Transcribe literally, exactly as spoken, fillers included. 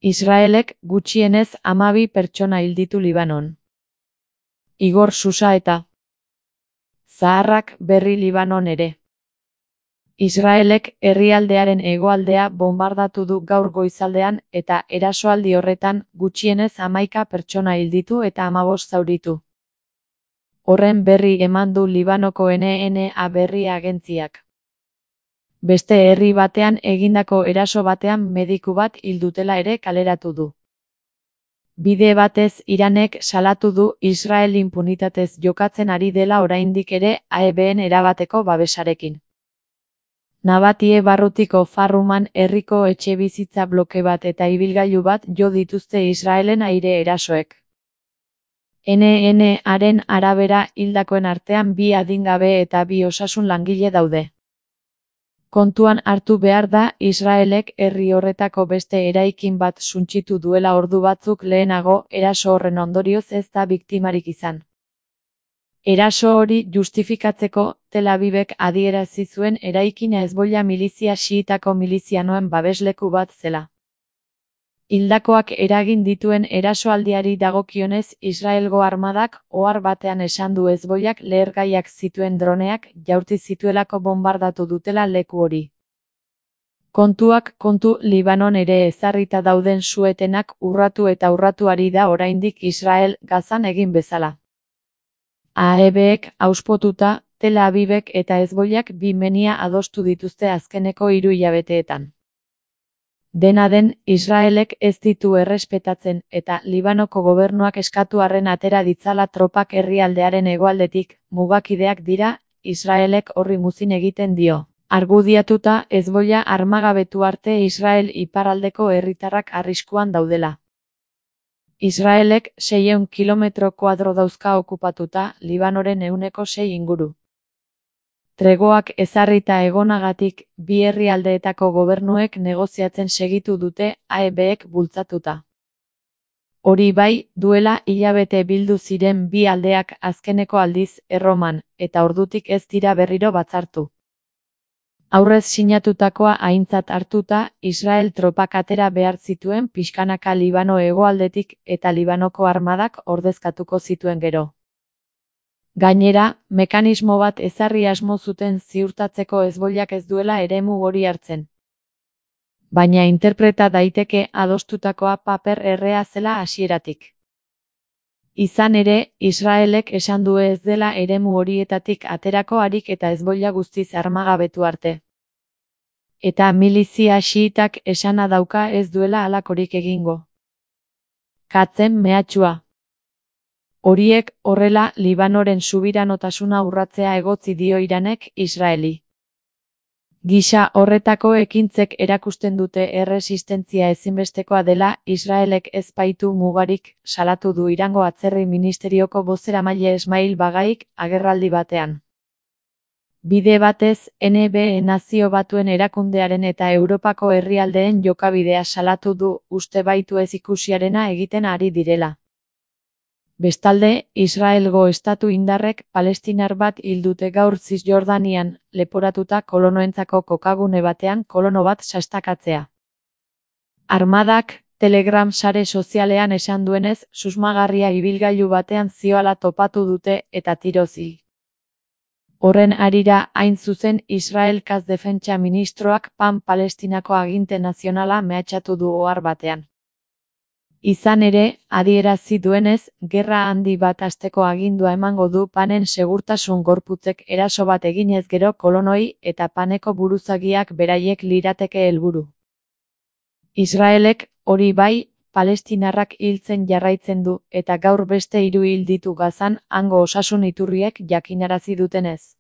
Israelek gutxienez hamabi pertsona hil ditu Libanon. Igor Susa eta zaharrak berri Libanon ere. Israelek herrialdearen hegoaldea bonbardatu du gaur goizaldean eta erasoaldi horretan gutxienez hamaika pertsona hil ditu eta hamabost zauritu. Horren berri eman du Libanoko N N A berri agentziak. Beste herri batean egindako eraso batean mediku bat hil dutela ere kaleratu du. Bide batez Iranek salatu du Israel inpunitatez jokatzen ari dela oraindik ere A E Bn erabateko babesarekin. Nabatie barrutiko Farruman herriko etxebizitza bloke bat eta ibilgailu bat jo dituzte Israelen aire erasoek. N N Aren arabera hildakoen artean bi adingabe eta bi osasun langile daude. Kontuan hartu behar da Israelek herri horretako beste eraikin bat suntsitu duela ordu batzuk lehenago, eraso horren ondorioz ez da biktimarik izan. Eraso hori justifikatzeko Tel Avivek adierazi zuen eraikina Hezbollah milizia xiitako milizianoen babesleku bat zela. Hildakoak eragin dituen erasoaldiari dagokionez Israelgo armadak ohar batean esan du Hezbollak lehergaiak zituen droneak jaurti zituelako bonbardatu dutela leku hori. Kontuak kontu Libanon ere ezarrita dauden su-etenak urratu eta urratu ari da oraindik Israel Gazan egin bezala. A E Bek auspotuta, Tel Avivek eta Hezbollak bi menia adostu dituzte azkeneko hiru hilabeteetan. Dena den, Israelek ez ditu errespetatzen eta Libanoko gobernuak eskatu arren atera ditzala tropak herrialdearen hegoaldetik, mugakideak dira, Israelek horri muzin egiten dio. Argudiatuta Hezbollah armagabetu arte Israel iparraldeko herritarrak arriskuan daudela. Israelek seiehun kilometro koadro dauzka okupatuta, Libanoren ehuneko sei inguru. Tregoak ezarrita egonagatik, bi herrialdeetako gobernuek negoziatzen segitu dute A E Bek bultzatuta. Hori bai, duela hilabete bildu ziren bi aldeak azkeneko aldiz Erroman, eta ordutik ez dira berriro batzartu. Aurrez sinatutakoa aintzat hartuta, Israel tropak atera behar zituen pixkanaka Libano hegoaldetik eta Libanoko armadak ordezkatuko zituen gero. Gainera, mekanismo bat ezarri asmo zuten ziurtatzeko Hezbollak ez duela eremu hori hartzen. Baina interpreta daiteke adostutakoa paper errea zela hasieratik. Izan ere, Israelek esan du ez dela eremu horietatik aterako harik eta Hezbollah guztiz armagabetu arte. Eta milizia xiitak esana dauka ez duela halakorik egingo. Katzen mehatxua. Horiek horrela Libanoren subiranotasuna urratzea egotzi dio Iranek Israeli. Gisa horretako ekintzek erakusten dute erresistentzia ezinbestekoa dela Israelek ez baitu mugarik, salatu du Irango atzerri ministerioko bozeramaile Esmail Bagaik agerraldi batean. Bide batez, N B Nazio Batuen erakundearen eta Europako herrialdeen jokabidea salatu du, uste baitu ez ikusiarena egiten ari direla. Bestalde, Israelgo estatu indarrek palestinar bat hil dute gaur Zisjordanian, leporatuta kolonoentzako kokagune batean kolono bat sastakatzea. Armadak, Telegram sare sozialean esan duenez, susmagarria ibilgailu batean zioala topatu dute eta tirozi. Horren harira hain zuzen Israelkaz defentsa ministroak Pan Palestinako aginte nazionala mehatxatu du ohar batean. Izan ere, adierazi duenez, gerra handi bat hasteko agindua emango du Panen segurtasun gorputzek eraso bat eginez gero kolonoi eta Paneko buruzagiak beraiek lirateke helburu. Israelek, hori bai, palestinarrak hiltzen jarraitzen du eta gaur beste hiru hil ditu Gazan hango osasun iturriek jakinarazi dutenez.